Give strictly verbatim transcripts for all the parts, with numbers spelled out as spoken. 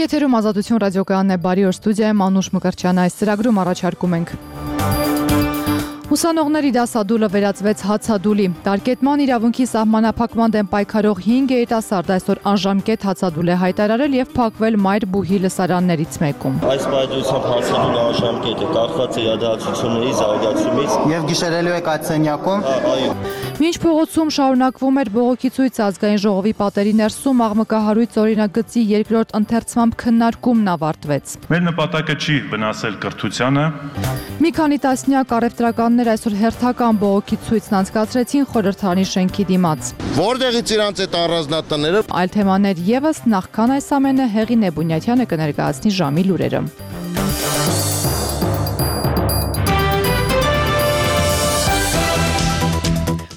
Եթերում Ազատություն ռադիոկայանն է, բարի օր, ստուդիայում Անուշ Մկրտչյան, այս ծրագրում առաջարկում ենք Ուսանողների դասադուլը վերածվեց հացադուլի։ Տարկետման իրավունքի սահմանափակման դեմ պայքարող հինգ երիտասարդ այսօր անժամկետ հացադուլ է հայտարարել եւ փակվել Մայր բուհի լսարաններից մեկում։ Այս պայծառությամբ հացադուլը անժամկետ է, կախված է իրադարձությունների զարգացումից եւ գիշերելու եք այդ սենյակում։ Այո։ Մինչ փողոցում շարունակվում էր բողոքի ցույցը, ազգային ժողովի պատերի ներսում աղմկահարույց օրինագծի երկրորդ ընթերցման քննարկումն ավարտվեց։ Մեր նպատակը չի վնասել կրթությանը։ Մի քանի տասնյակ առևտրականներ այսօր հերթական բողոքի ցույցն անցկացրեցին խորհրդարանի շենքի դիմաց։ Որտեղից իրանց այդ առանձնատները։ Այլ թեմաներ եւս, նախքան այս ամենը Հեղին Նեբունյանը կներկայացնի ժամի լուրերը։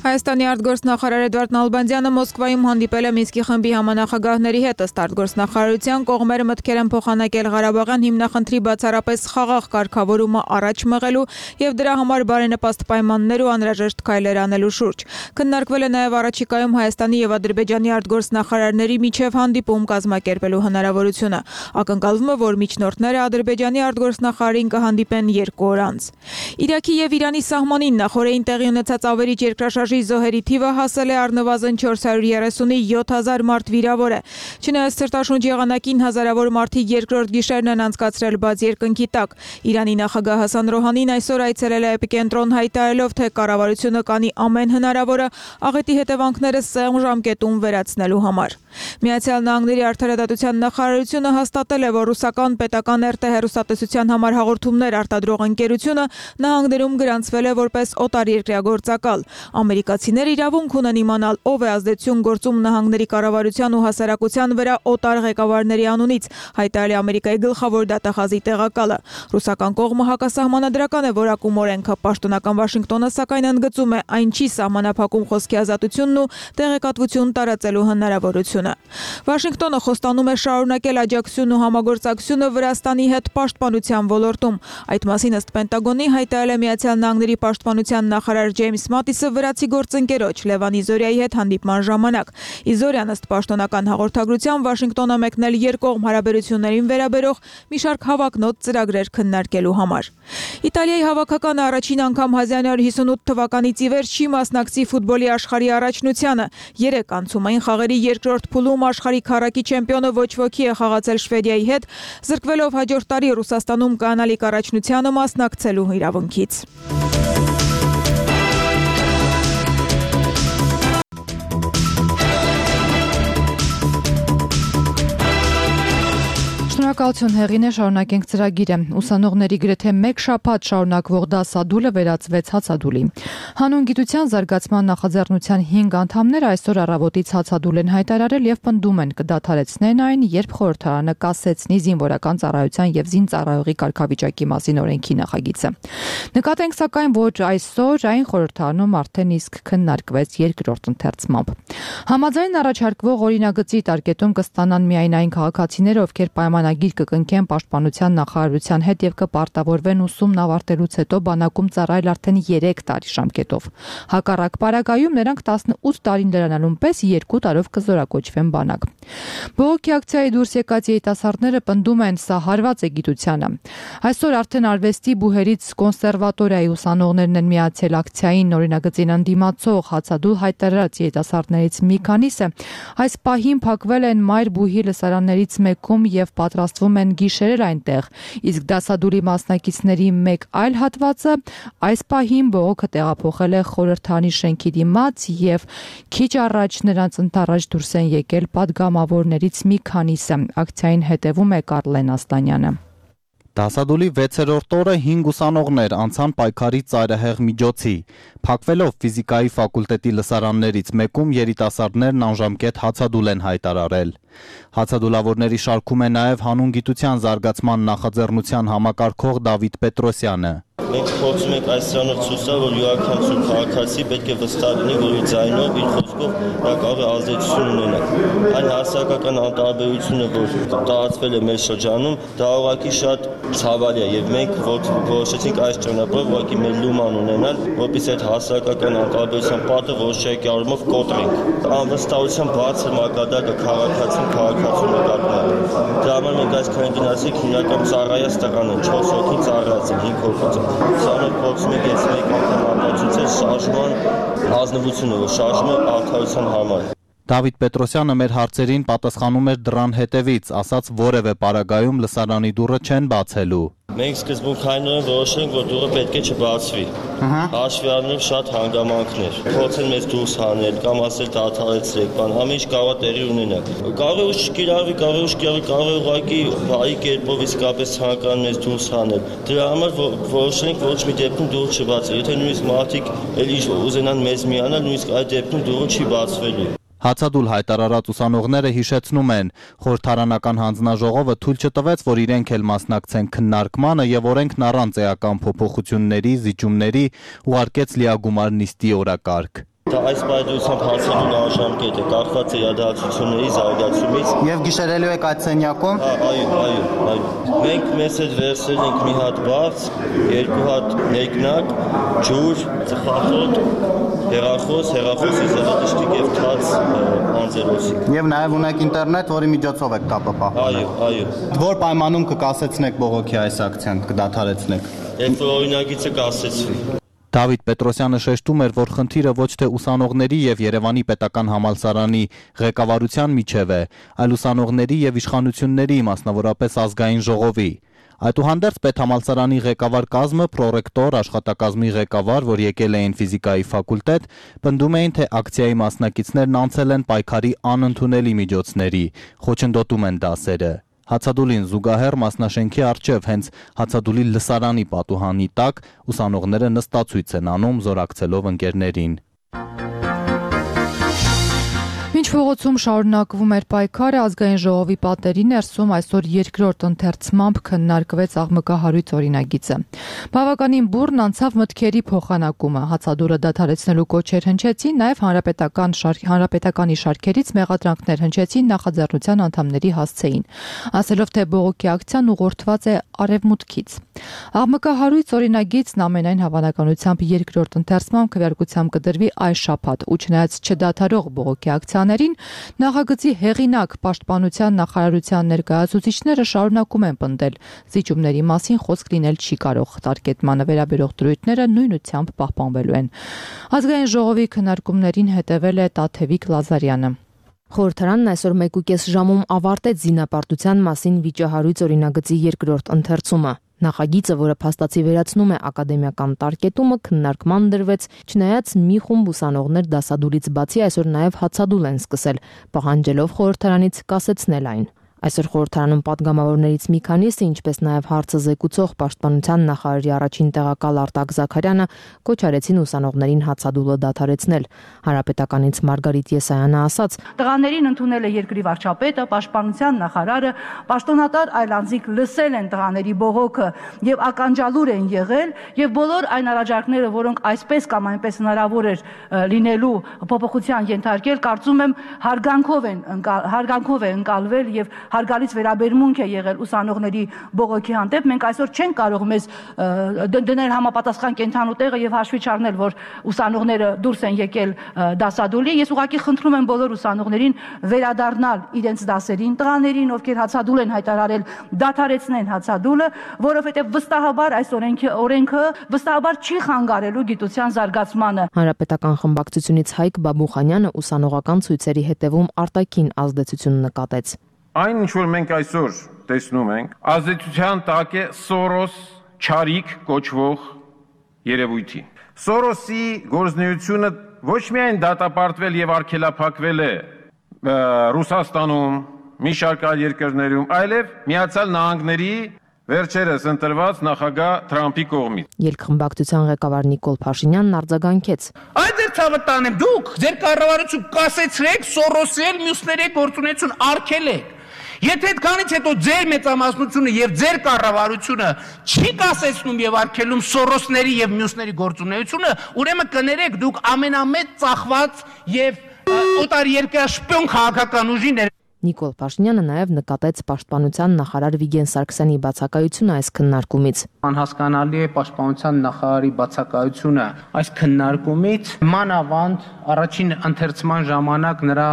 Հայաստանի արտգործնախարար Էդվարդ Նալբանդյանը Մոսկվայում հանդիպել է Մինսկի խմբի համանախագահների հետ, ըստ արտգործնախարարության կողմերը մտքեր են փոխանակել Ղարաբաղյան հիմնախնդրի բացառապես խաղաղ կարգավորումը առաջ մղելու եւ դրա համար բարենպաստ պայմաններ ու անհրաժեշտ քայլեր անելու շուրջ։ Քննարկվել է նաեւ առաջիկայում Հայաստանի եւ Ադրբեջանի արտգործնախարարների միջև հանդիպում կազմակերպելու հնարավորությունը։ Ակնկալվում է, որ միջնորդները Ադրբեջանի արտգործնախարարին կհանդիպեն երկու օր անց։ Իրաքի եւ Իրանի սահմանին նախորդին տեղի ունեցած ավերիչ երկրաշարժի զոհերի թիվը հասել է առնվազն չորս հարյուր երեսունի յոթ հազար մարդ վիրավոր է։ Չնայած սրտաշունչ եղանակին հազարավոր մարդիկ երկրորդ գիշերն են անցկացրել բաց երկնքի տակ։ Իրանի նախագահ Հասան Ռոհանին այսօր այցելել է էպիկենտրոն հայտարարելով, թե կառավարությունը կանի ամեն հնարավորը աղետի հետևանքները սեղմ ժամկետում վերացնելու համար։ Միացյալ Նահանգների արդարադատության նախարարությունը հաստատել է, որ ռուսական պետական эр տե հեռուստատեսության համար հաղորդումներ արտադրող ընկերությունը նահանգներում գրանցվել է որպես օտարերկրյա գործակալ։ Ամերիկացիները իրավունք ունեն իմանալ, ով է ազդեցություն գործում նահանգների կառավարության ու հասարակության վրա օտար ղեկավարների անունից, հայտարարել է Ամերիկայի գլխավոր դատախազի տեղակալը։ Ռուսական կողմը հակասահմանադրական է որակում օրենքը, պաշտոնական Վաշինգտոնը սակայն ընդգծում է, այն չի սահմանափակում խոսքի ազատությունն ու տեղեկատվություն տարածելու հնարավորությունը։ Վաշինգտոնը խոստանում է շարունակել աջակցությունն ու համագործակցությունը Վրաստանի հետ պաշտպանության ոլորտում։ Այդ մասին ըստ Պենտագոնի հայտարարել է Միացյալ Նահանգների պաշտպանության նախարար Ջեյմս Մատիսը վրացի գործընկերոջ Լևան Իզորիայի հետ հանդիպման ժամանակ։ Իզորյան ըստ պաշտոնական հաղորդագրության Վաշինգտոնը մեկնել երկկողմ հարաբերություններին վերաբերող մի շարք հավակնոտ ծրագրեր քննարկելու համար։ Իտալիայի հավաքականը առաջին անգամ հազար նոյ հիսունութ թվականից ի վեր չի մասնակցի ֆուտբոլի աշխարհի առաջնությանը։ Երեք անցումային խաղերի երկրորդ փուլում աշխարհի քառակի չեմպիոնը ոչ ոքի է խաղացել Շվեդիայի հետ, զրկվելով հաջորդ տարի Ռուսաստանում կանալիք առաջնությանը մասնակցելու իրավունքից։ Շնորհակալություն Հեղին է, շարունակենք ծրագիրը։ Ուսանողների գրեթե մեկ շաբաթ շարունակվող դասադուլը վերածվեց հացադուլի։ Հանուն գիտության զարգացման նախաձեռնության հինգ անդամներ այսօր առավոտից հացադուլ են հայտարարել եւ պնդում են կդադարեցնեն այն, երբ խորհրդարանը կասեցնի զինվորական ծառայության եւ զինծառայողի կարգավիճակի մասին օրենքի նախագիծը։ Նկատենք սակայն, որ այսօր այն խորհրդարանում արդեն իսկ քննարկվեց երկրորդ ընթերցմամբ։ Համաձայն առաջարկվող օրինագծի տարկետում կստանան միայն այն քաղաքացիները, ովքեր պայմանագիր կկնքեն պաշտպանության նախարարության հետ եւ կպարտավորվեն ուսումն ավարտելուց հետո բանակում ծառայել արդեն երեք տարի ժամկետով։ Հակառակ պարագայում նրանք տասնութ տարին լրանալուն պես երկու տարով կզորակոչվեն բանակ։ Բողոքի ակցիայի դուրս եկած երիտասարդները պնդում են, սա հարված է գիտությանը։ Այսօր արդեն արվեստի բուհերից կոնսերվատորիայի ուսանողներն են միացել ակցիային, օրինագծին ընդդիմացող հացադուլ հայտարարած երիտասարդներից մի քանիսը այս պահին փակվել են Մայր բուհի լսարաններից մեկում եւ պատրաստվում են գիշերել այնտեղ, իսկ դասադուլի մասնակիցների մեկ այլ հատվածը այս պահին բողոքը տեղափոխել է խորհրդարանի շենքի դիմաց եւ քիչ առաջ նրանց ընթառաջ դուրս են եկել падգամավորներից մի քանիսը։ Ակցիային հետևում է Կարլեն Աստանյանը։ Դասադուլի վեցերորդ օրը հինգ ուսանողներ անցան պայքարի ծայրահեղ միջոցի։ Փակվելով ֆիզիկայի ֆակուլտետի լսարաններից մեկում երիտասարդներն անժամկետ հացադուլ են հայտարարել։ Հացադուլավորների շարքում է նաև հանուն գիտության զարգացման նախաձեռնության համակարգող Դավիթ Պետրոսյանը։ Մենք փորձում ենք այս ծանոթ ցույցը, որ յուրաքանչյուր քաղաքացի պետք է վստահ լինի, որ իր ձայնով, իր խոսքով նա կարող է ազդեցություն ունենալ։ Այն հասարակական անտարբերությունը, որ տարածվել է մեր շրջանում, դա ուղղակի շատ ցավալի է եւ մենք որոշեցինք այս ճանապարհով ուղղակի մեր լուման ունենալ, որպեսզի այդ հասարակական անտարբերության պատը որոշակի առումով կոտրենք։ Անվստահության բարձր մակարդակը քաղաքացին քաղաքացու նկատմամբ։ Դրա համար մենք այսքան գնացինք հիմնական ծառայած տղան են, չորս հոգի ծառայած են, հինգ հոգի։ Սրանով փորձում ենք այս մեկ անգամ ապացուցել շարժման ազնվությունը, որ շարժումը արդարության համար։ Դավիթ Պետրոսյանը մեր հարցերին պատասխանում էր դրան հետևից, ասաց որևէ պարագայում լսարանի դուռը չեն բացելու։ Մենք սկզբունքայինորեն որոշենք, որ դուռը պետք է չբացվի։ Հաշվի առնելով շատ հանգամանքներ, փորձեն մեզ դուրս հանել կամ ասել դադարեցրեք, բան, ամեն ինչ կարող է տեղի ունենալ։ Կարող է ուշ կիրառվի, կարող է ուշ կիրառվի, կարող է ուղղակի բարի կերպով իսկապես ցանկան մեզ դուրս հանել։ Դրա համար որոշենք ոչ մի դեպքում դուռը չբացել։ Եթե նույնիսկ մարդիկ էլի ուզենան մեզ միանալ, նույնիսկ այդ դեպքում դուռը չի բացվելու։ Հացադուլ հայտարարած ուսանողները հիշեցնում են, խորհրդարանական հանձնաժողովը թույլ չտվեց, որ իրենք էլ մասնակցեն քննարկմանը եւ օրենքն առանց էական փոփոխությունների, զիջումների ուղարկեց լիագումար նիստի օրակարգ։ Դա այս պայմանությամբ հարցերու անժամկետ է, կախված է իրադարձությունների զարգացումից։ Եվ գիշերելու եք այդ սենյակում։ Այո, այո, այո։ Մենք մեզ հետ վերցրել ենք մի հատ բարձ, երկու հատ մեկնակ, ջուր, ծխախոտ, հեռախոս, հեռախոսի զեղադաշտիկ եւ թաց անձերոսիկ։ Եվ նաեւ ունեք ինտերնետ, որի միջոցով եք կապը պահպանել։ Այո, այո։ Որ պայմանում կկասեցնեք բողոքի այս ակցիան, կդադարեցնեք։ Երբ որ օրինագիծը կասեցվի։ Դավիթ Պետրոսյանը շեշտում էր, որ խնդիրը ոչ թե ուսանողների եւ Երևանի պետական համալսարանի ղեկավարության միջև է, այլ ուսանողների եւ իշխանությունների, մասնավորապես ազգային ժողովի։ Այդուհանդերձ պետհամալսարանի ղեկավար կազմը, պրոռեկտոր, աշխատակազմի ղեկավար, որ եկել էին ֆիզիկայի ֆակուլտետ, պնդում էին, թե ակցիայի մասնակիցներն անցել են պայքարի անընդունելի միջոցների, խոչընդոտում են դասերը։ Հացադուլին զուգահեռ մասնաշենքի առջև հենց Հացադուլի լսարանի պատուհանի տակ ուսանողները նստացույց են անում զորակցելով ընկերներին։ Մինչ փողոցում շարունակվում էր պայքարը, ազգային ժողովի պատերի ներսում այսօր երկրորդ ընթերցմամբ քննարկվեց աղմկահարույց օրինագիծը։ Բավականին բուռն անցավ մտքերի փոխանակումը, հացադուլը դադարեցնելու կոչեր հնչեցին, նաև հանրապետական հանրապետականի շարքերից մեղադրանքներ հնչեցին նախաձեռնության անդամների հասցեին, ասելով թե բողոքի ակցիան ուղղորդված է արևմուտքից։ Աղմկահարույց օրինագիծն ամենայն հավանականությամբ երկրորդ ընթերցմամբ քվեարկությամբ կդրվի այս շաբաթ, ու չնայած չդադարող բողոքի ակցիաներին, նախագծի հեղինակ պաշտպանության նախարարության ներկայացուցիչները շարունակում են պնդել, զիջումների մասին խոսք լինել չի կարող, տարկետմանը վերաբերող դրույթները նույնությամբ պահպանվելու են։ Ազգային ժողովի քննարկումներին հետևել է Տաթևիկ Լազարյանը։ Խորհրդարանն այսօր մեկուկես ժամում ավարտեց զինապարտության մասին վիճահարույց օրինագծի երկրորդ ընթերցումը։ Նախագիծը, որը փաստացի վերացնում է ակադեմիական տարկետումը, քննարկման դրվեց, չնայած մի խումբ ուսանողներ դասադուլից բացի այսօր նաև հացադուլ են սկսել, պահանջելով խորհրդարանից կասեցնել այն։ Այսօր խորհրդարանում պատգամավորներից մի քանիսը, ինչպես նաև հարցը զեկուցող պաշտպանության նախարարի առաջին տեղակալ Արտակ Զաքարյանը կոչ արեցին ուսանողներին հացադուլը դադարեցնել։ Հանրապետականից Մարգարիտ Եսայանը ասաց. Տղաներին ընդունել է երկրի վարչապետը, պաշտպանության նախարարը, պաշտոնատար այլ անձինք լսել են տղաների բողոքը եւ ականջալուր են եղել, եւ բոլոր այն առաջարկները, որոնք այսպես կամ այնպես հնարավոր էր լինելու փոփոխության ենթարկել, կարծում եմ հարգանքով են հարգանքով է ընկալվել եւ հարգալից վերաբերմունք է եղել ուսանողների բողոքի հանդեպ։ Մենք այսօր չենք կարող մեզ դնել համապատասխան կենթանու տեղը եւ հաշվի չառնել, որ ուսանողները դուրս են եկել դասադուլի։ Ես ուղղակի խնդրում եմ բոլոր ուսանողներին վերադառնալ իրենց դասերին, տղաներին, ովքեր հացադուլ են հայտարարել, դադարեցնեն հացադուլը, որովհետեւ վստահաբար այս օրենքի օրենքը վստահաբար չի խանգարելու գիտության զարգացմանը։ Հանրապետական խմբակցությունից Հայկ Բաբուխանյանը ուսանողական ցույցերի հետևում արտաքին ազդեցություն նկատեց։ Այն ինչ որ մենք այսօր տեսնում ենք, ազդեցության տակ է Սորոս չարիք կոչվող երևույթի։ Սորոսի գործունեությունը ոչ միայն դատապարտվել եւ արգելափակվել է Ռուսաստանում, մի շարք այլ երկրներում, այլև Միացյալ Նահանգների վերջերս ընտրված նախագահ Թրամփի կողմից։ Ելքխմբակցության ղեկավար Նիկոլ Փաշինյանն արձագանքեց. Այդ ձեր ցավը տանեմ, դուք ձեր կառավարություն կասեցրեք Սորոսի էլ մյուսների գործունեություն արգելեք։ Եթե այդքանից հետո ձեր մեծամասնությունը եւ ձեր կառավարությունը չի կասեցնում եւ արգելում Սորոսների եւ մյուսների գործունեությունը, ուրեմն կներեք դուք ամենամեծ ծախված եւ օտարերկրյա շպիոն քաղաքական ուժին Նիկոլ Փաշինյանը նաև նկատեց պաշտպանության նախարար Վիգեն Սարգսյանի բացակայությունը այս քննարկումից։ Անհասկանալի է պաշտպանության նախարարի բացակայությունը այս քննարկումից, մանավանդ առաջին ընթերցման ժամանակ նրա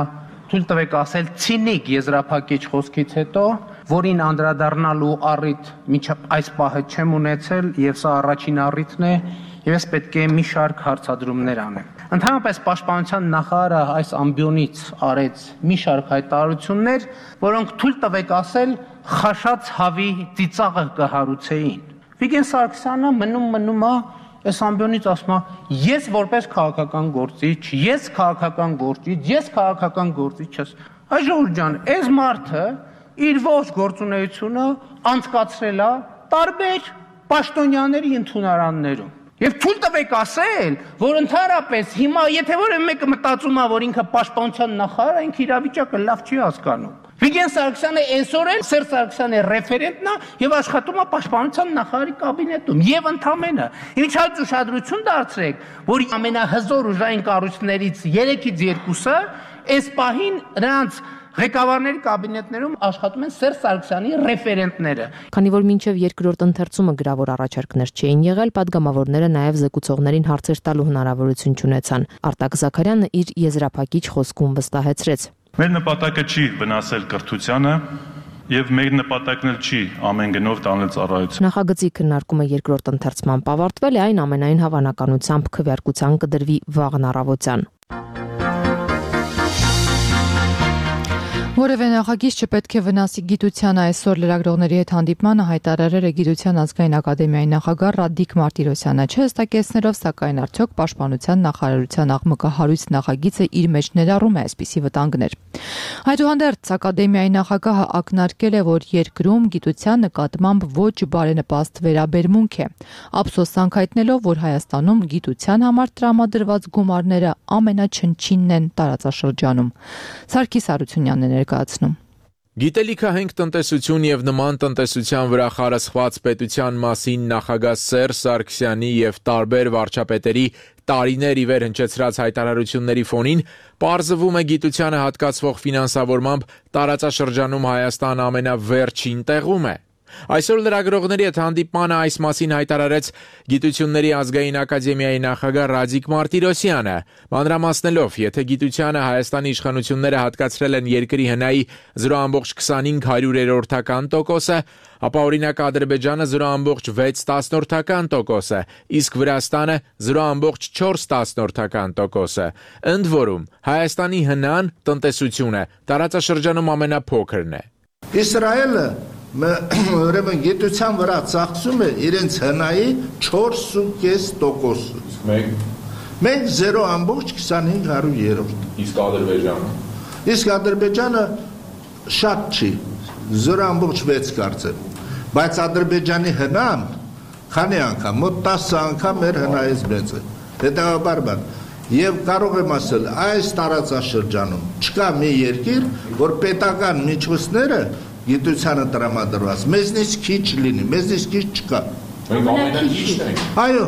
թույլ տվեք ասել ցինիկ եզրափակիչ խոսքից հետո, որին անդրադառնալու առիթ մինչև այս պահը չեմ ունեցել եւ սա առաջին առիթն է եւ ես պետք է մի շարք հարցադրումներ անեմ։ Ընդհանրապես պաշտպանության նախարարը այս ամբիոնից արեց մի շարք հայտարարություններ, որոնք թույլ տվեք ասել խաշած հավի ծիծաղը կհարուցեին։ Վիգեն Սարգսյանը մնում մնում է այս ամբիոնից ասում է ես որպես քաղաքական գործիչ, ես քաղաքական գործիչ, ես քաղաքական գործիչ ես։ Այ ժողովուրդ ջան, այս մարդը իր ողջ գործունեությունը անցկացրել է տարբեր պաշտոնյաների ընդունարաններում։ Եվ թույլ տվեք ասել, որ ընդհանրապես հիմա եթե որևէ մեկը մտածում է, որ ինքը պաշտպանության նախարար է, ինքը իրավիճակը լավ չի հասկանում։ Վիգեն Սարգսյանը այսօր Սերժ Սարգսյանի ռեֆերենտն է եւ աշխատում է պաշտպանության նախարարի կաբինետում եւ ընդամենը։ Ինչալ ուշադրություն դարձրեք, որ ամենահզոր ուժային կառույցներից երեքից երկուսը այս պահին նրանց ղեկավարների կաբինետներում աշխատում են Սերժ Սարգսյանի ռեֆերենտները։ Քանի որ մինչև երկրորդ ընթերցումը գրավոր առաջարկներ չէին եղել, падգամավորները նաև զեկուցողներին հարցեր տալու հնարավորություն չունեցան։ Արտակ Զաքարյանը իր եզրափակիչ խոսքում վստահեցրեց. Մեր նպատակը չի վնասել կրթությանը եւ մեր նպատակն էլ չի ամեն գնով տանել ծառայություն։ Նախագծի քննարկումը երկրորդ ընթերցմամբ ավարտվել է, այն ամենայն հավանականությամբ քվեարկության կդրվի վաղն առավոտյան։ Որևէ նախագիծ չպետք է վնասի գիտությանը այսօր լրագրողների հետ հանդիպմանը հայտարարել է Գիտության ազգային ակադեմիայի նախագահ Ռադիկ Մարտիրոսյանը, չհստակեցնելով, սակայն արդյոք պաշտպանության նախարարության աղմկահարույց նախագիծը իր մեջ ներառում է այսպիսի վտանգներ։ Այդուհանդերձ ակադեմիայի նախագահը ակնարկել է, որ երկրում գիտության նկատմամբ ոչ բարենպաստ վերաբերմունք է, ափսոսանք հայտնելով, որ Հայաստանում գիտության համար տրամադրված գումարները ամենաչնչինն են տարածաշրջանում։ Սարգիս Հարությունյանն է ներկայացնում։ Գիտելիքահենք տնտեսություն եւ նման տնտեսության վրա խարսխված պետության մասին նախագահ Սերժ Սարգսյանի եւ տարբեր վարչապետերի տարիներ ի վեր հնչեցրած հայտարարությունների ֆոնին պարզվում է գիտությանը հատկացվող ֆինանսավորմամբ տարածաշրջանում Հայաստան ամենավերջին տեղում է։ Այսօր լրագրողների հետ հանդիպմանը այս մասին հայտարարեց Գիտությունների ազգային ակադեմիայի նախագահ Ռադիկ Մարտիրոսյանը, մանրամասնելով, եթե գիտությանը Հայաստանի իշխանությունները հատկացրել են երկրի հնայի զրո բացարձակ քսանհինգ հարյուրերորդական տոկոսը, ապա օրինակ Ադրբեջանը զրո բացարձակ վեց տասնորդական տոկոսը, իսկ Վրաստանը զրո բացարձակ չորս տասնորդական տոկոսը։ Ընդ որում, Հայաստանի հնան տնտեսությունը տարածաշրջանում ամենափոքրն է։ Իսրայելը ուրեմն գիտության վրա ծախսում է իրենց հնայի չորս կես տոկոսից։ Մենք մենք զրո բացարձակ քսանհինգ հարյուրերորդ։ Իսկ Ադրբեջանը։ Իսկ Ադրբեջանը շատ չի, զրո բացարձակ վեց կարծեմ։ Բայց Ադրբեջանի հնան քանի անգամ, մոտ տասը անգամ մեր հնայից մեծ է։ Հետևաբար Եվ կարող եմ ասել, այս տարածաշրջանում չկա մի երկիր, որ պետական միջոցները գիտությանը տրամադրված, մեզնից քիչ լինի, մեզնից քիչ չկա։ Մենք ամենաքիչն ենք։ Այո։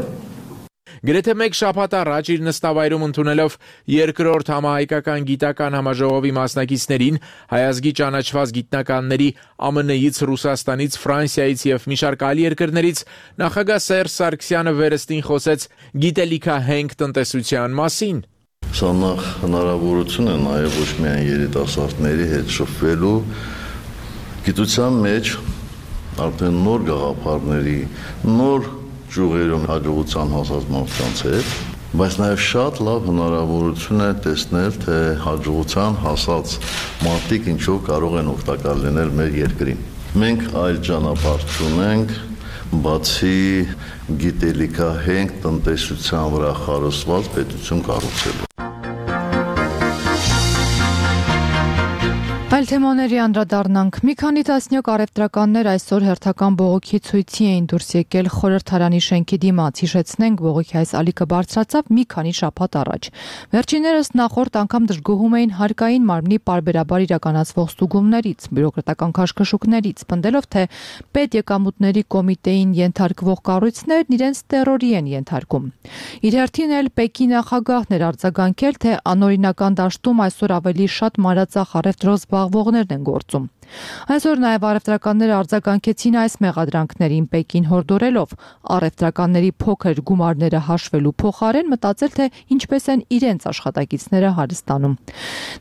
Գրեթե մեկ շաբաթ առաջ իր նստավայրում ընդունելով երկրորդ համահայկական գիտական համաժողովի մասնակիցներին հայազգի ճանաչված գիտնականների ԱՄՆ -ից, Ռուսաստանից, Ֆրանսիայից եւ մի շարք այլ երկրներից նախագահ Սերժ Սարգսյանը վերստին խոսեց գիտելիքահենք տնտեսության մասին։ Սա նախ հնարավորություն է նաեւ ոչ միայն երիտասարդների հետ շփվելու գիտության մեջ արդեն նոր գաղափարների, նոր ճյուղերում հաջողության հասած մարդկանց հետ, բայց նաև շատ լավ հնարավորություն է տեսնել, թե հաջողության հասած մարդիկ ինչով կարող են օգտակար լինել մեր երկրին։ Մենք այլ ճանապարհ չունենք, բացի գիտելիքահենք տնտեսության վրա խարսխված պետություն կառուցելու։ Այլ թեմաների անդրադառնանք։ Մի քանի տասնյակ առևտրականներ այսօր հերթական բողոքի ցույցի էին դուրս եկել խորհրդարանի շենքի դիմաց։ Հիշեցնենք, բողոքի այս ալիքը բարձրացավ մի քանի շաբաթ առաջ։ Վերջիններս նախորդ անգամ դժգոհում էին հարկային մարմնի պարբերաբար իրականացվող ստուգումներից, բյուրոկրատական քաշքշուկներից, պնդելով, թե պետեկամուտների կոմիտեին ենթարկվող կառույցներն իրենց տերորի են ենթարկում։ Իր հերթին էլ Պեկի նախագահն էր արձագանքել, թե անօրինական դաշտում այսօր ավելի շատ մանրածախ առևտրով զբաղվողներն են գործում։ Այսօր նաև առևտրականները արձագանքեցին այս մեղադրանքներին, Պեկին հորդորելով առևտրականների փոքր գումարները հաշվելու փոխարեն մտածել, թե ինչպես են իրենց աշխատակիցները հարստանում։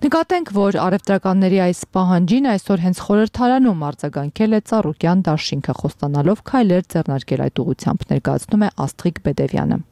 Նկատենք, որ առևտրականների այս պահանջին այսօր հենց խորհրդարանում արձագանքել է Ծառուկյան դաշինքը, խոստանալով քայլեր ձեռնարկել այդ ուղղությամբ, ներկայացնում է Աստղիկ Բեդևյանը։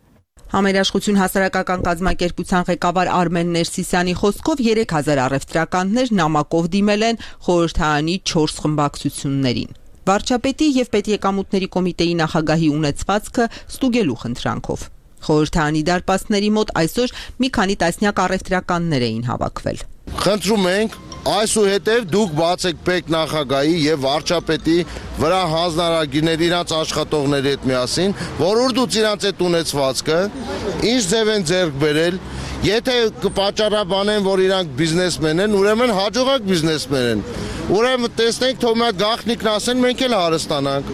Համերաշխություն հասարակական կազմակերպության ղեկավար Արմեն Ներսիսյանի խոսքով երեք հազար առևտրականներ նամակով դիմել են խորհրդարանի չորս խմբակցություններին։ Վարչապետի եւ պետեկամուտների կոմիտեի նախագահի ունեցվածքը ստուգելու խնդրանքով։ Խորհրդարանի դարպասների մոտ այսօր մի քանի տասնյակ առևտրականներ էին հավաքվել։ Խնդրում ենք այսուհետև դուք բացեք Պեկ նախագահի եւ վարչապետի վրա հանձնարարագիրներ իրանց աշխատողների հետ միասին, որորդուց իրանց այդ ունեցվածքը ինչ ձև են ձեռք բերել, եթե կպատճառաբանեն, որ իրանք բիզնեսմեն են, ուրեմն հաջողակ բիզնեսմեն են։ Ուրեմն տեսնենք, թող մի գաղտնիքն ասեն, մենք էլ հարստանանք։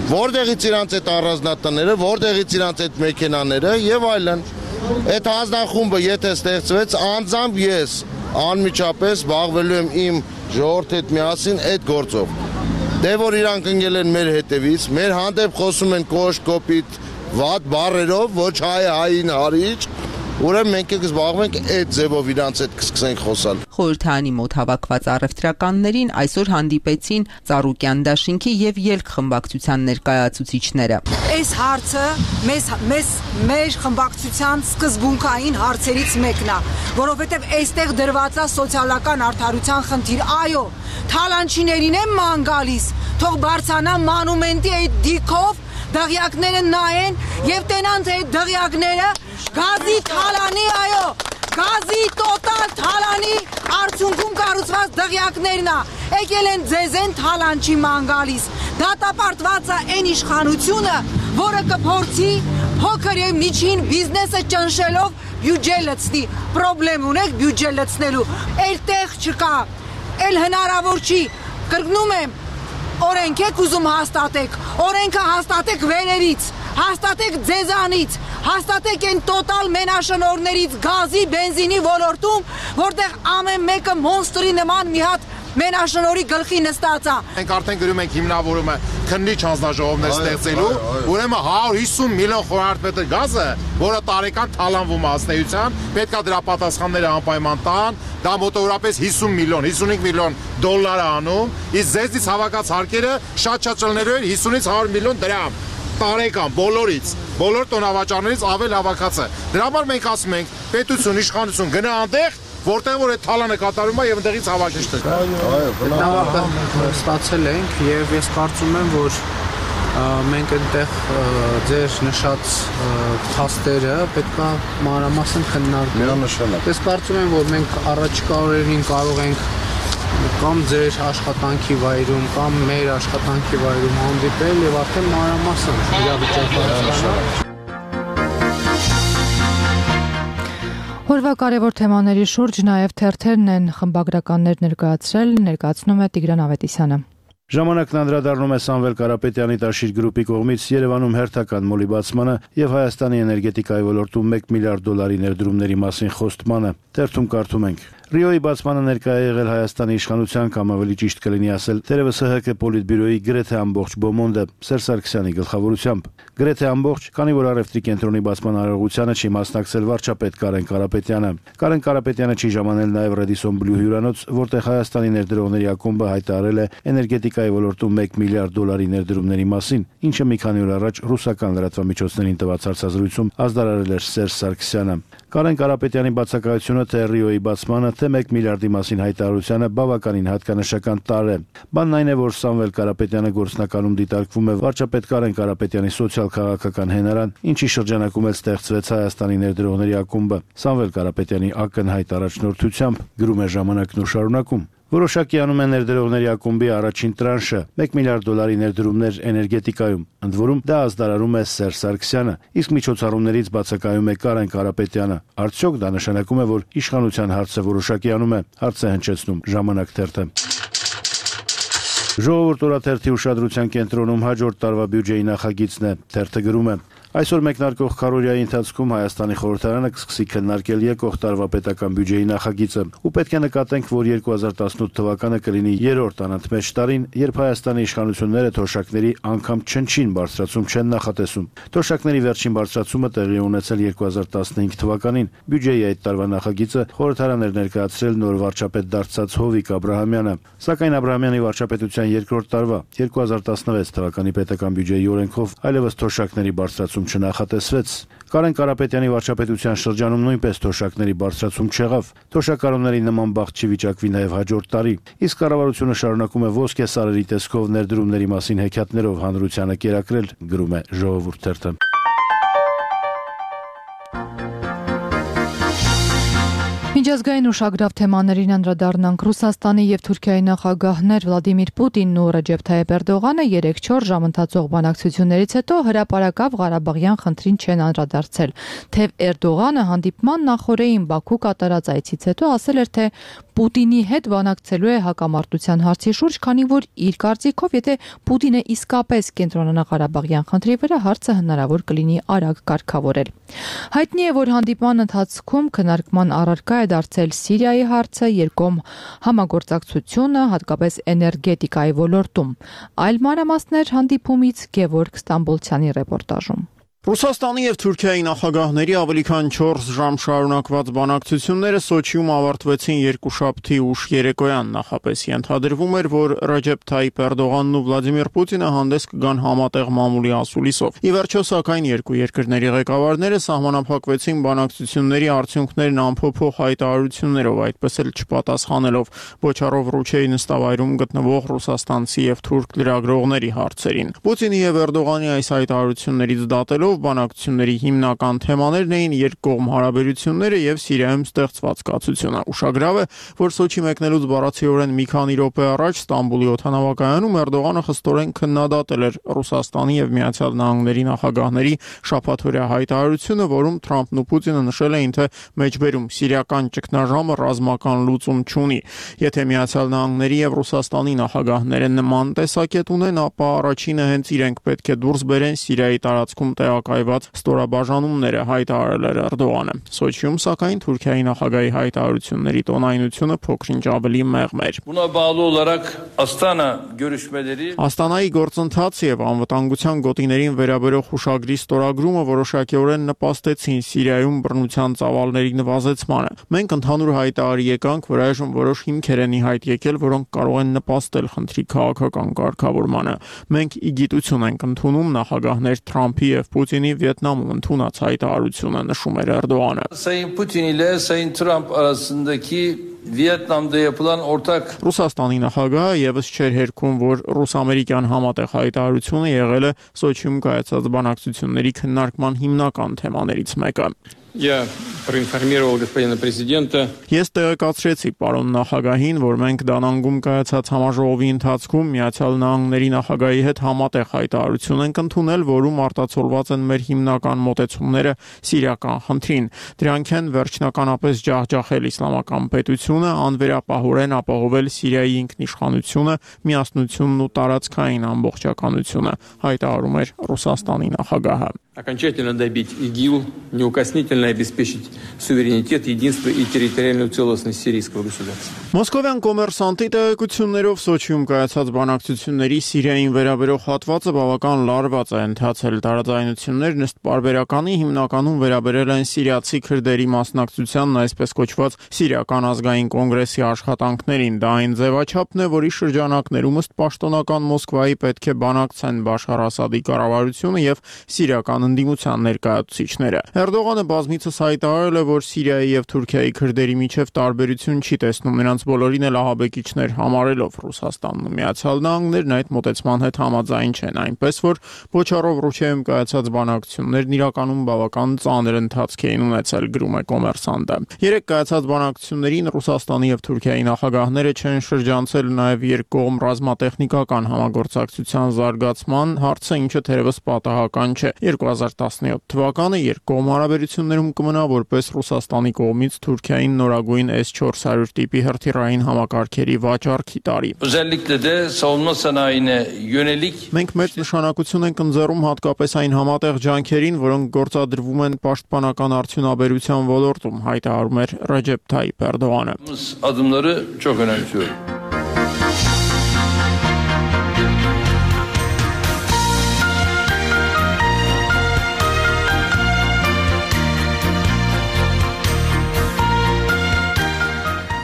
Որտեղից իրանց այդ առանձնատները, որտեղից իրանց այդ մեքենաները եւ այլն։ Այդ հանձնախումբը եթե ստեղծվեց, անձամբ ես անմիջապես զբաղվելու եմ իմ ժողովրդի հետ միասին այդ գործով։ Դե որ իրանք ընկել են մեր հետևից, մեր հանդեպ խոսում են կոշտ, կոպիտ, վատ բառերով, ոչ հայ հային հարիչ, ուրեմն մենք եք զբաղվենք այդ ձևով իրանց հետ կսկսենք խոսալ։ Խորհրդարանի մոտ հավաքված առևտրականներին այսօր հանդիպեցին Ծառուկյան դաշինքի եւ Ելք խմբակցության ներկայացուցիչները։ Այս հարցը մեզ մեզ մեր խմբակցության սկզբունքային հարցերից մեկն է, որովհետեւ այստեղ դրված է սոցիալական արդարության խնդիր։ Այո, թալանչիներին են ման գալիս, թող բարձանա մանումենտի այդ դիքով դղյակները նայեն եւ տենան թե դղյակները գազի թալանի, այո, գազի տոտալ թալանի արդյունքում կառուցված դղյակներն է, եկել են ձեզ են թալանչի ման գալիս, դատապարտված է այն իշխանությունը, որը կփորձի փոքր եւ միջին բիզնեսը ճնշելով բյուջե լցնի, պրոբլեմ ունեք բյուջե լցնելու, այլ տեղ չկա, այլ հնարավոր չի, կրկնում եմ, օրենք եք ուզում հաստատեք, օրենքը հաստատեք վերերից, հաստատեք ձեզանից, հաստատեք են տոտալ մենաշնորներից գազի, բենզինի ոլորտում, որտեղ ամեն մեկը մոնստրի նման մի հատ մենաշնորի գլխի նստած է։ Մենք արդեն գրում ենք հիմնավորումը քննիչ հանձնաժողովներ ստեղծելու, ուրեմն հարյուր հիսուն միլիոն խորանարդ գազը, որը տարեկան թալանվում է ազնեության, պետքա դրա պատասխանները անպայման տան, դա մոտավորապես հիսուն միլիոն, հիսունհինգ միլիոն դոլար է անում, իսկ ձեզնից հավաքած հարկերը շատ-շատ ճլներով հիսունից հարյուր միլիոն դրամ տարեկան բոլորից, բոլոր տոնավաճառներից ավել հավաքածը։ Դրա համար մենք ասում ենք, պետություն, իշխանություն գնա այնտեղ, որտեղ որ այդ թալանը կատարում է եւ այնտեղից հավաքիչ տա։ Այո, նավակը ստացել ենք եւ ես կարծում եմ, որ մենք այնտեղ ձեր նշած փաստերը պետքա մանրամասն քննարկենք։ Միանշանակ։ Ես կարծում եմ, որ մենք առաջիկա օրերին կարող ենք կամ ձեր աշխատանքի վայրում, կամ մեր աշխատանքի վայրում հանդիպել եւ արդեն մանրամասն իրավիճակը հասկանալ։ Օրվա կարևոր թեմաների շուրջ նաև թերթերն են խմբագրականներ ներկայացրել, ներկայացնում է Տիգրան Ավետիսյանը։ Ժամանակն անդրադառնում է Սամվել Կարապետյանի Տաշիր գրուպի կողմից Երևանում հերթական մոլի բացմանը եւ Հայաստանի էներգետիկայի ոլորտում մեկ միլիարդ դոլարի ներդրումների մասին խոստմանը։ Թերթում կարդում ենք. Ռիոյի բացմանը ներկայ է եղել Հայաստանի իշխանության կամ ավելի ճիշտ կլինի ասել թերևս ՀՀԿ Պոլիտբյուրոյի գրեթե ամբողջ բոմոնդը Սերժ Սարգսյանի գլխավորությամբ։ Գրեթե ամբողջ, քանի որ առևտրի կենտրոնի բացման արարողությանը չի մասնակցել վարչապետ Կարեն Կարապետյանը։ Կարեն Կարապետյանը չի ժամանել նաև Radisson Blu հյուրանոց, որտեղ Հայաստանի ներդրողների ակումբը հայտարարել է էներգետիկայի ոլորտում մեկ միլիարդ դոլարի ներդրումների մասին, ինչը մի քանի օր առաջ ռուսական լրատվամիջոցներին տված հարցազրույցում ազդարարել էր Սերժ Սարգսյանը։ Կարեն Կարապետյանի բացակայությունը թե Ռիոյի բացմանը, թե մեկ միլիարդի մասին հայտարարությունը բավականին հատկանշական տարր է։ Բանն այն է, որ Սամվել Կարապետյանը գործնականում դիտարկվում է վարչապետ Կարեն Կարապետյանի սոցիալ-քաղաքական հենարան, ինչի շրջանակում էլ ստեղծվեց Հայաստանի ներդրողների ակումբը։ Սամվել Կարապետյանի ակնհայտ առաջնորդությամբ գրում է Ժամանակն ու շարունակում. Որոշակի անում է ներդրողների ակումբի առաջին տրանշը՝ մեկ միլիարդ դոլարի ներդրումներ էներգետիկայում, ընդ որում դա ազդարարում է Սերժ Սարգսյանը, իսկ միջոցառումներից բացակայում է Կարեն Կարապետյանը։ Արդյոք դա նշանակում է, որ իշխանության հարցը որոշակի անում է, հարց է հնչեցնում Ժամանակ թերթը։ Ժողովուրդ օրաթերթի ուշադրության կենտրոնում հաջորդ տարվա բյուջեի նախագիծն է, թերթը գրում է. Այսօր մեկնարկող քարոզիայի ընթացքում Հայաստանի խորհրդարանը կսկսի քննարկել եկող տարվա պետական բյուջեի նախագիծը, ու պետք է նկատենք, որ երկու հազար տասնութ թվականը կլինի երրորդ անընդմեջ տարին, երբ Հայաստանի իշխանությունները թոշակների անգամ չնչին բարձրացում չեն նախատեսում։ Թոշակների վերջին բարձրացումը տեղի ունեցել երկու հազար տասնհինգ թվականին։ Բյուջեի այդ տարվա նախագիծը խորհրդարան էր ներկայացրել նոր վարչապետ դարձած Հովիկ Աբրահամյանը, սակայն Աբրահամյանի վարչապետության երկրորդ տարվա երկու հազար տասնվեց թվականի պետական բյուջեի օրենքով այլևս թոշակների բարձրացում չնախատեսվեց։ Կարեն Կարապետյանի վարչապետության շրջանում նույնպես թոշակների բարձրացում չեղավ։ Թոշակառուների նման բախտ չվիճակվի նաև հաջորդ տարի։ Իսկ կառավարությունը շարունակում է ոսկե սարերի տեսքով ներդրումների մասին հեքիաթներով հանրությանը կերակրել, գրում է Ժողովուրդ թերթը։ Միջազգային ուշագրավ թեմաներին անդրադառնանք։ Ռուսաստանի եւ Թուրքիայի նախագահներ Վլադիմիր Պուտինն ու Ռեջեփ Թայիփ Էրդողանը երեք-չորս ժամ ընթացող բանակցություններից հետո հրապարակավ Ղարաբաղյան խնդրին չեն անդրադարձել։ Թեև Էրդողանը հանդիպման նախօրեին Բաքու կատարած այցից հետո ասել էր, թե Պուտինի հետ բանակցելու է հակամարտության հարցի շուրջ, քանի որ իր կարծիքով, եթե Պուտինը իսկապես կենտրոնանա Ղարաբաղյան խնդրի վրա, հարցը հնարավոր կլինի արագ կարգավորել։ Հայտնի է, որ հանդիպման ընթացքում քննարկման առարկա է դարձել Սիրիայի հարցը, երկկողմ համագործակցությունը, հատկապես էներգետիկայի ոլորտում։ Այլ մանրամասներ հանդիպումից Գևորգ Ստամբոլցյանի ռեպորտաժում։ Ռուսաստանի եւ Թուրքիայի նախագահների ավելի քան չորս ժամ շարունակված բանակցությունները Սոչիում ավարտվեցին երկուշաբթի ուշ երեկոյան։ Նախապես ենթադրվում էր, որ Ռեջեփ Թայիփ Էրդողանն ու Վլադիմիր Պուտինը հանդես կգան համատեղ մամուլի ասուլիսով։ Ի վերջո, սակայն, երկու երկրների ղեկավարները սահմանափակվեցին բանակցությունների արդյունքներն ամփոփող հայտարարություններով, այդպես էլ չպատասխանելով Բոչարով Ռուչեի նստավայրում գտնվող ռուսաստանցի եւ թուրք լրագրողների հարցերին։ Պուտինի եւ Էրդողանի այս հայտարարություններից դատելով բանակցությունների հիմնական թեմաներն էին երկկողմ հարաբերությունները եւ Սիրիայում ստեղծված կացությունը։ Ուշագրավ է, որ Սոչի մեկնելուց բառացիորեն մի քանի րոպե առաջ Ստամբուլի օդանավակայանում Էրդողանը խստորեն քննադատել էր Ռուսաստանի եւ Միացյալ Նահանգների նախագահների շաբաթօրյա հայտարարությունը, որում Թրամփն ու Պուտինը նշել էին, թե մեջբերում սիրիական ճգնաժամը ռազմական լուծում չունի։ Եթե Միացյալ Նահանգների եւ Ռուսաստանի նախագահները նման տեսակետ ունեն, ապա առաջինը հենց իրենք պետք է դուրս բերեն Սիրիայի տարածքում տեղակայված ստորաբաժանումները, հայտարարել էր Էրդողանը։ Սոչիում, սակայն, Թուրքիայի նախագահի հայտարարությունների տոնայնությունը փոքրինչ ավելի մեղմ էր։ Աստանայի գործընթացը եւ անվտանգության գոտիներին վերաբերող հուշագրի ստորագրումը որոշակիորեն նպաստեցին Սիրիայում բռնության ծավալների նվազեցմանը։ Մենք ընդհանուր հայտարարի եկանք, որ այժմ որոշ հիմքեր են ի հայտ եկել, որոնք կարող են նպաստել խնդրի քաղաքական կարգավորմանը։ Մենք ի գիտություն ենք ընդունում նախագահներ Թրամփի եւ Պուտինի Վիետնամում ընդունած հայտարարությունը, նշում էր Էրդողանը։ Sayın Putin ile Sayın Trump arasındaki Վիետնամda yapılan ortak Ռուսաստանի նախագահը եւս չէր հերքում, որ ռուս-ամերիկյան համատեղ հայտարարությունը եղել է Սոչիում կայացած բանակցությունների քննարկման հիմնական թեմաներից մեկը։ Я проинформировал господина президента. Ես տեղեկացրեցի պարոն նախագահին, որ մենք Դանանգում կայացած համաժողովի ընթացքում Միացյալ Նահանգների նախագահի հետ համատեղ հայտարարություն ենք ընդունել, որում արտացոլված են մեր հիմնական մոտեցումները սիրիական խնդրին։ Դրանք են վերջնականապես ջախջախել իսլամական պետությունը, անվերապահորեն ապահովել Սիրիայի ինքնիշխանությունը, միասնությունն ու տարածքային ամբողջականությունը, հայտարարում էր Ռուսաստանի նախագահը։ Окончательно добить ИГИЛ, неукоснительно обеспечить суверенитет, единство и территориальную целостность сирийского государства. Մոսկովյան կոմերսանտի տեղեկություններով Սոչիում կայացած բանակցությունների Սիրիային վերաբերող հատվածը բավական լարված է ընթացել։ Տարաձայնություններն ըստ պարբերականի հիմնականում վերաբերել են սիրիացի քրդերի մասնակցությանն այսպես կոչված Սիրիական ազգային կոնգրեսի աշխատանքներին։ Դա այն ձևաչափն է, որի շրջանակներում ըստ պաշտոնական Մոսկվայի պետք է բանակցեն Բաշար Ասադի կառավարությունը եւ սիրիական ընդդիմության ներկայացուցիչները։ Էրդողանը բազմիցս հայտարարել է, որ Սիրիայի եւ Թուրքիայի քրդերի միջև տարբերություն չի տեսնում, նրանց բոլորին էլ ահաբեկիչներ համարելով։ Ռուսաստանն ու Միացյալ Նահանգներն այդ մոտեցման հետ համաձայն չեն, այնպես որ Բոչարով Ռուսիայում կայացած բանակցություններն իրականում բավական ծանր ընթացք էին ունեցել, գրում է Կոմերսանտը։ Երեք կայացած բանակցություններին Ռուսաստանի եւ Թուրքիայի նախագահները չեն շրջանցել նաեւ երկկողմ ռազմատեխնիկական համագործակցության զարգացման հարցը, ինչը թերևս պատահական չէ։ երկու հազար տասնյոթ թվականը երկկողմ հարաբերություններում կմնա որպես Ռուսաստանի կողմից Թուրքիային նորագույն S four hundred տիպի հրթիռային համակարգերի վաճառքի տարի։ Մենք մեծ նշանակություն ենք ընձեռում հատկապես այն համատեղ ջանքերին, որոնք գործադրվում են պաշտպանական արդյունաբերության ոլորտում, հայտարարում էր Ռեջեփ Թայիփ Էրդողանը։ Adımları çok önemsiyorum.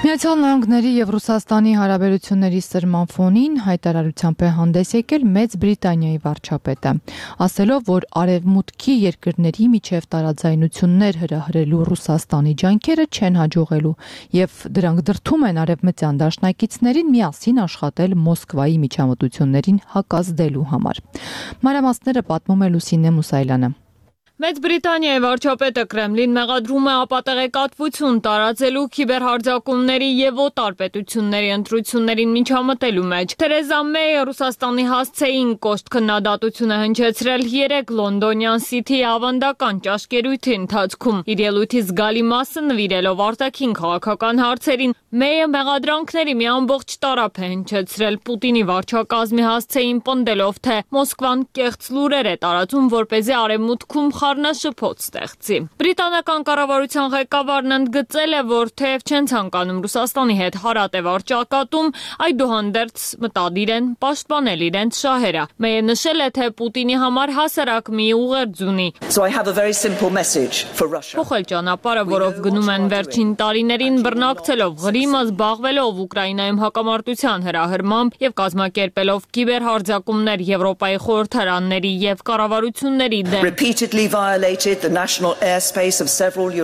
Միացյալ Նահանգների եւ Ռուսաստանի հարաբերությունների սրման ֆոնին հայտարարությամբ է հանդես եկել Մեծ Բրիտանիայի վարչապետը, ասելով, որ արևմուտքի երկրների միջև տարաձայնություններ հրահրելու Ռուսաստանի ջանքերը չեն հաջողելու եւ դրանք դրդում են արևմտյան դաշնակիցներին միասին աշխատել Մոսկվայի միջամտություններին հակազդելու համար։ Մանրամասները պատմում է Լուսինե Մուսայելյանը։ Մեծ Բրիտանիայի վարչապետը Կրեմլին մեղադրում է ապատեղեկատվություն տարածելու քիբերհարձակումների եւ օտար պետությունների ընտրություններին միջամտելու մեջ։ Թերեզա Մեյը Ռուսաստանի հասցեին կոշտ քննադատություն է հնչեցրել երեք լոնդոնյան Սիթիի ավանդական ճաշկերույթի ընթացքում։ Իր ելույթի զգալի մասը նվիրելով արտաքին քաղաքական հարցերին, Մեյը մեղադրանքների մի ամբողջ տարափ է հնչեցրել Պուտինի վարչակազմի հասցեին պնդելով, թե Մոսկվան կեղծ լուրեր է տարածում, որպեսզի արևմուտքում խառնաշփոթ ստեղծի։ Բրիտանական կառավարության ղեկավարն ընդգծել է, որ թեև չեն ցանկանում Ռուսաստանի հետ հարատև ճակատում, այդուհանդերձ մտադիր են պաշտպանել իրենց շահերը։ Մեյը նշել է, թե Պուտինի համար հասարակ մի ուղերձ ունի։ Փոխել ճանապարհը, որով գնում են վերջին տարիներին, բռնակցելով Ղրիմը, զբաղվելով Ուկրաինայում հակամարտության հրահրմամբ եւ կազմակերպելով կիբերհարձակումներ Եվրոպայի խորհրդարանների եւ կառավարությունների դեմ։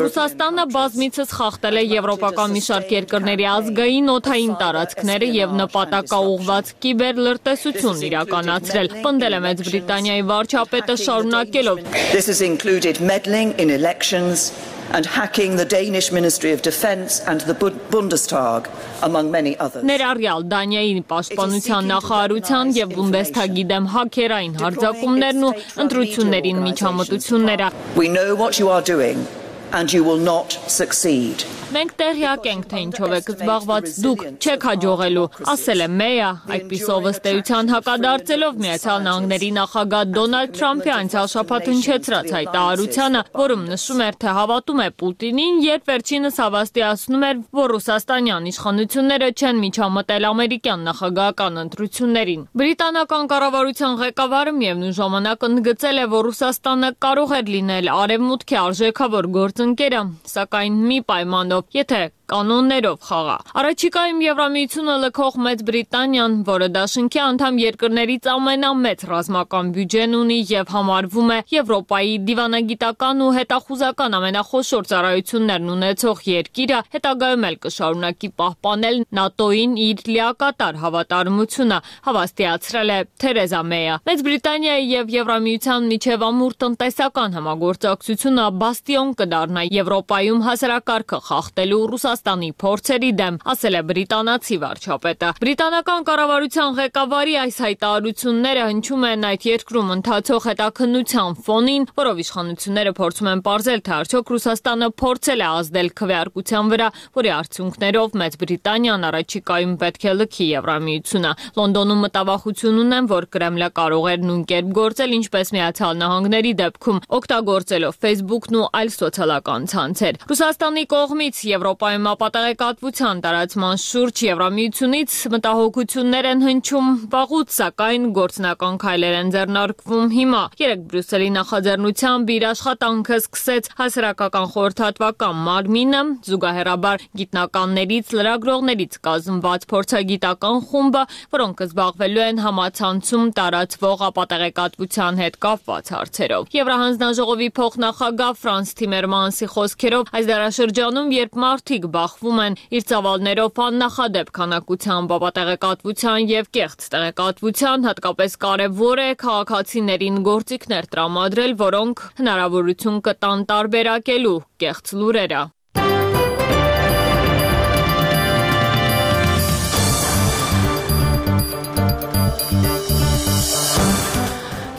Ռուսաստանը բազմիցս խախտել է եվրոպական մի շարք երկրների ազգային օդային տարածքները եւ նպատակաուղղված կիբեր լրտեսություն իրականացրել, պնդել է Մեծ Բրիտանիայի վարչապետը շարունակելով. This has included meddling in elections and hacking the Danish Ministry of Defence and the Bundestag, among many others. Ներառյալ Դանիայի պաշտպանության նախարարության եւ Բունդեսթագի դեմ հաքերային հարձակումներն ու ընտրություններին միջամտությունները։ We know what you are doing and you will not succeed. Մենք տեղյակ ենք, թե ինչով եք զբաղված, դուք չեք հաջողելու, ասել է Մեյը, այդպիսով ըստ էության հակադարձելով Միացյալ Նահանգների նախագահ Դոնալդ Թրամփի անցյալ շաբաթ հնչեցրած հայտարարությանը, որում նշում էր, թե հավատում է Պուտինին, երբ վերջինս հավաստիացնում էր, որ ռուսաստանյան իշխանությունները չեն միջամտել ամերիկյան նախագահական ընտրություններին։ Բրիտանական կառավարության ղեկավարը միևնույն ժամանակ ընդգծել է, որ Ռուսաստանը կարող էր լինել արևմուտքի արժեքավոր գործընկերը, սակայն մի պայմանով, եթե կանոններով խաղա։ Առաջիկայում Եվրամիությունը լքող Մեծ Բրիտանիան, որը դաշնքի անդամ երկրներից ամենամեծ ռազմական բյուջեն ունի եւ համարվում է Եվրոպայի դիվանագիտական ու հետախուզական ամենախոշոր ծառայություններն ունեցող երկիրը, հետագայում էլ կշարունակի պահպանել ՆԱՏՕ-ին իր լիակատար հավատարմությունը, հավաստիացրել է Թերեզա Մեյը։ Մեծ Բրիտանիայի եւ Եվրամիության միջև ամուր տնտեսական համագործակցությունը բաստիոն կդառնա Եվրոպայում հասարակարգը խախտելու Ռուսաստանի Ռուսաստանի փորձերի դեմ, ասել է բրիտանացի վարչապետը։ Բրիտանական կառավարության ղեկավարի այս հայտարարությունները հնչում են այդ երկրում ընթացող հետաքննության ֆոնին, որով իշխանությունները փորձում են պարզել, թե արդյոք Ռուսաստանը փորձել է ազդել քվեարկության վրա, որի արդյունքներով Մեծ Բրիտանիան առաջիկայում պետք է լքի Եվրամիությունը։ Լոնդոնում մտավախություն ունեն, որ Կրեմլը կարող էր նույն կերպ գործել, ինչպես Միացյալ Նահանգների դեպքում, օգտագործելով Facebook-ն ու այլ սոցիալական ցանցեր։ Ռուսաստանի կողմից Եվրոպայում ապատեղեկատվության տարածման շուրջ Եվրամիությունից մտահոգություններ են հնչում վաղուց, սակայն գործնական քայլեր են ձեռնարկվում հիմա։ Երեկ Բրյուսելի նախաձեռնությամբ իր աշխատանքը սկսեց հասարակական խորհրդատվական մարմինը, զուգահեռաբար գիտնականներից, լրագրողներից կազմված փորձագիտական խումբը, որոնք զբաղվելու են համացանցում տարածվող ապատեղեկատվության հետ կապված հարցերով։ Եվրահանձնաժողովի փոխնախագահ Ֆրանս Թիմերմանսի խոսքերով այս դարաշրջանում, երբ մարդիկ բախվում են իր ծավալներով աննախադեպ քանակությամբ ապատեղեկատվության եւ կեղծ տեղեկատվության, հատկապես կարեւոր է քաղաքացիներին գործիքներ տրամադրել, որոնք հնարավորություն կտան տարբերակելու կեղծ լուրերը։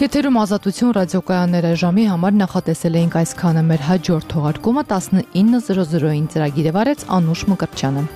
Եթերում Ազատություն ռադիոկայանները ժամի համար նախատեսել էինք այսքանը, մեր հաջորդ թողարկումը տասնինը զրո զրոին ծրագիրը վարեց Անուշ Մկրտչյանը։